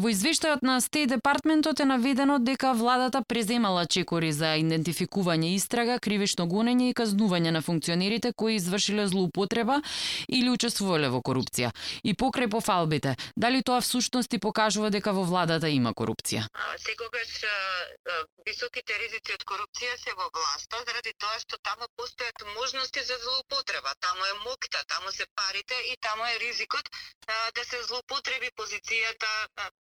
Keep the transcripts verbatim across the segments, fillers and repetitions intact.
Во извештајот на Стејт Департментот е наведено дека владата преземала чекори за идентификување, истрага, кривично гонење и казнување на функционерите кои извршиле злоупотреба или учествувале во корупција. И покрај пофалбите, дали тоа всушност и покажува дека во владата има корупција? Секогаш високите ризици од корупција се во власта, заради тоа што таму постојат можности за злоупотреба. Таму е мокта, таму се парите и таму е ризикот а, да се злоупотреби позицијата,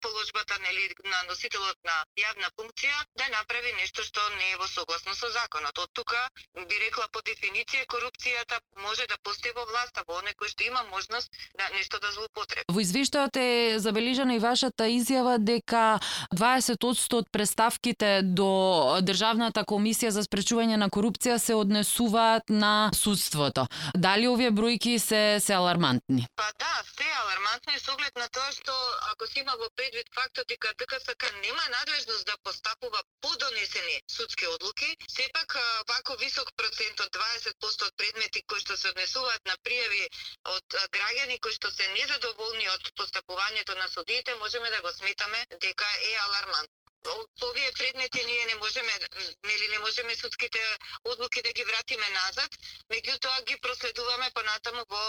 положбата нели на носителот на јавна функција да направи нешто што не е во согласно со законот. Од тука би рекла по дефиниција корупцијата може да постои во власта, во оној кој што има можност да нешто да злоупотреби. Во извештајот е забележана и вашата изјава дека дваесет одсто од преставките до Државната комисија за спречување на корупција се однесуваат на судството. Дали овие бројки се се алармантни? Па да, се алармантни со оглед на тоа што ако се има во предвид фактот дека ДКСК нема надлежност да постапува по донесени судски одлуки, сепак вако висок процент од дваесет одсто од предмети кои што се однесуваат на пријави од граѓани кои што се незадоволни од постапувањето на судиите, можеме да го сметаме дека е алармантно. Овие предмети ние не можеме, нели не можеме судските одлуки да ги вратиме назад, меѓутоа ги проследуваме понатаму во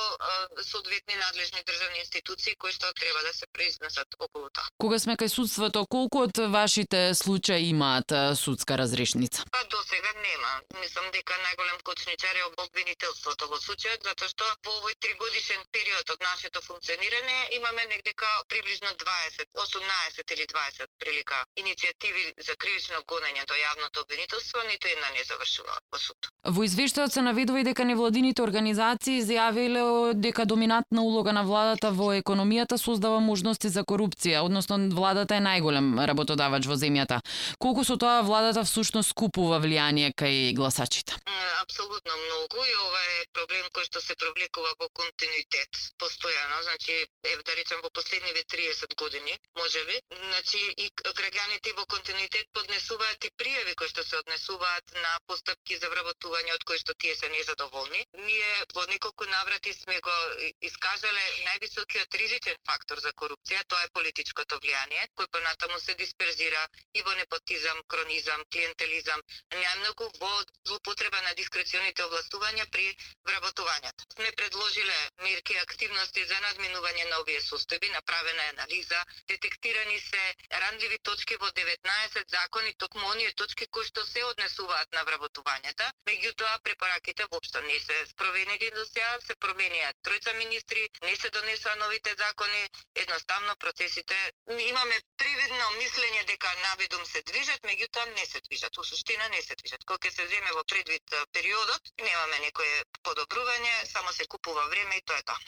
соодветни надлежни државни институции кои што треба да се произнесат околу тоа. Кога сме кај судството, колку од вашите случаи имаат судска разрешница? Па до сега нема. Мислам дека најголем кочничар е обвинителството во случајот, затоа што во овој тригодишен период од нашето функционирање имаме негдека приближно дваесет, осумнаесет или дваесет прилика иницијативи за кривично гонење до јавното обвинителство, ниту една не завршила во суд. Во извештајот се наведува и дека невладините организации изјавиле дека доминантна улога на владата во економијата создава можности за корупција, односно владата е најголем работодавач во земјата. Колку со тоа владата всушност купува влијание кај гласачите? Апсолутно многу и ова е проблем кој што се провлекува во континуитет постојано, значи е да речем во последниве триесет години, можеби. Значи и граѓаните во континуитет поднесуваат и пријави кои што се однесуваат на постапки за вработување од кои што тие се незадоволни. Ние во неколку наврати сме го искажале највисокиот ризичен фактор за корупција, тоа е политичкото влијание, кој понатаму се дисперзира и во непотизам, кронизам, клиентелизам, најмногу во злоупотреба на дискреционите овластувања при вработувањето. Сме предложиле мерки и активности за надминување на овие состојби, направена е анализа, детектирани се ранливи точки во деветнаесет закони, токму оние точки кои што се однесуваат на вработувањата, меѓутоа препораките воопшто не се спроведени до сега, се променија тројца министри, не се донесоа новите закони, едноставно процесите имаме привидно мислење дека наведум се движат, меѓутоа не се движат, во суштина не се движат. Кога се земе во предвид периодот, немаме некое подобрување, само се купува време и тоа е тоа.